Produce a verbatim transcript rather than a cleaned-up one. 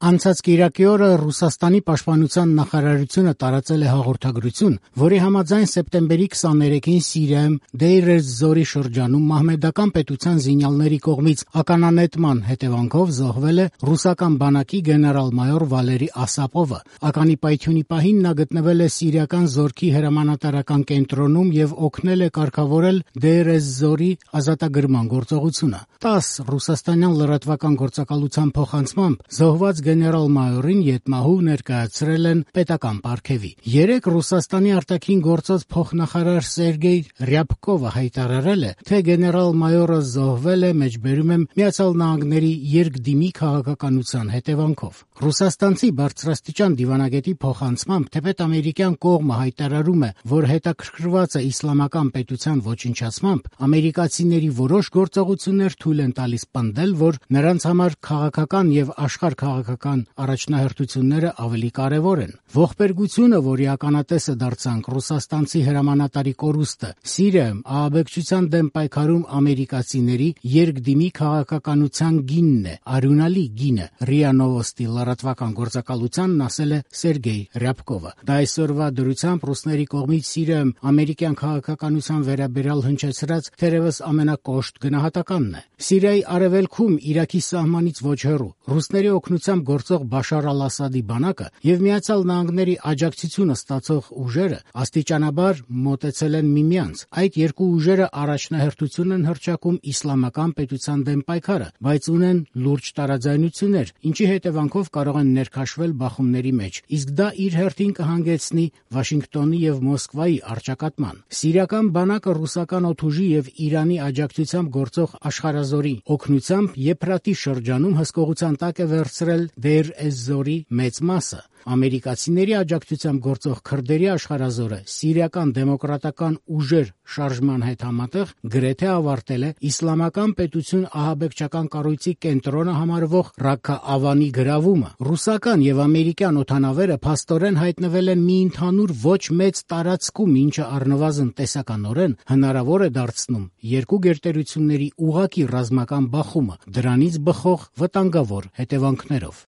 Անցած կիրակի օրը Ռուսաստանի պաշտպանության նախարարությունը տարածել է հաղորդագրություն, որի համաձայն սեպտեմբերի քսաներեքին Սիրիայում Դեյր ez-Զորի շրջանում մահմեդական պետության զինյալների կողմից ականանետման հետևանքով զոհվել է ռուսական բանակի գեներալ-մայոր Վալերի Ասապովը։ Ականի պայթյունի պահին նա գտնվել է սիրիական զորքի հրամանատարական կենտրոնում եւ օգնել է կարգավորել Դեյր ez-Զորի ազատագրման գործողությունը։ տասը ռուսաստանյան լրատվական գործակալության փոխանցմամբ զոհված գեներալ-մայորին ետմահու ներկայացրել են պետական պարգևի։ Երեկ Ռուսաստանի արտաքին գործոց փոխնախարար Սերգեյ Ռյաբկովը հայտարարել է, թե գեներալ-մայորը զոհվել է, մեջբերում եմ, Միացյալ Նահանգների երկդիմի քաղաքականության հետևանքով։ Ռուսաստանցի բարձրաստիճան դիվանագետի փոխանցմամբ, թեպետ ամերիկյան կողմը հայտարարում է, որ հետաքրքրված է իսլամական պետության ոչնչացմամբ, ամերիկացիների որոշ գործողություններ թույլ են տալիս պնդել, որ նրանց համար քաղաքական եւ աշխարհ քաղաքական առաջնահերթությունները ավելի կարևոր են։ Ողբերգությունը, որի ականատեսը դարձանք ռուսաստանցի հրամանատարի կորուստը, Սիրիայում ահաբեկչության դեմ պայքարում ամերիկացիների երկդիմի քաղաքականության գինն է, արյունալի գինը, ՌԻԱ Նովոստի լրատվական գործակալությանն ասել է Սերգեյ Ռյաբկովը։ Դա այսօրվա դրությամբ ռուսների կողմից Սիրիայում ամերիկյան քաղաքականության վերաբերյալ հնչեցրած թերևս ամենակոշտ գնահատականն է։ Սիրիայի արևելքում Իրաքի սահմանից ոչ հեռու ռուսների օգնությամբ գործող Բաշար ալ-Ասադի բանակը եւ Միացյալ Նահանգների աջակցությունը ստացող ուժերը աստիճանաբար մոտեցել են միմյանց։ Այդ երկու ուժերը առաջնահերթություն են հռչակում իսլամական պետության դեմ պայքարը, բայց ունեն լուրջ տարաձայնություններ, ինչի հետևանքով կարող են ներքաշվել բախումների մեջ, իսկ դա իր հերթին կհանգեցնի Վաշինգտոնի եւ Մոսկվայի առճակատման։ Սիրիական բանակը ռուսական օդուժի եւ Իրանի աջակցությամբ գործող աշխարհազորի օգնությամբ Եփրատի շրջանում հսկողության տակ է վերցրել Դեյր ez-Զորի մեծ մասը։ Ամերիկացիների աջակցությամբ գործող քրդերի աշխարհազորը սիրիական դեմոկրատական ուժեր շարժման հետ համատեղ գրեթե ավարտել է իսլամական պետություն ահաբեկչական կառույցի կենտրոնը համարվող Ռաքքա Ավանի գրավումը։ Ռուսական եւ ամերիկյան օդանավերը փաստորեն հայտնվել են մի ընդհանուր ոչ մեծ տարածքում, ինչը առնվազն տեսականորեն հնարավոր է դարձնում երկու գերտերությունների ուղղակի ռազմական բախումը, դրանից բխող վտանգավոր հետևանքներով։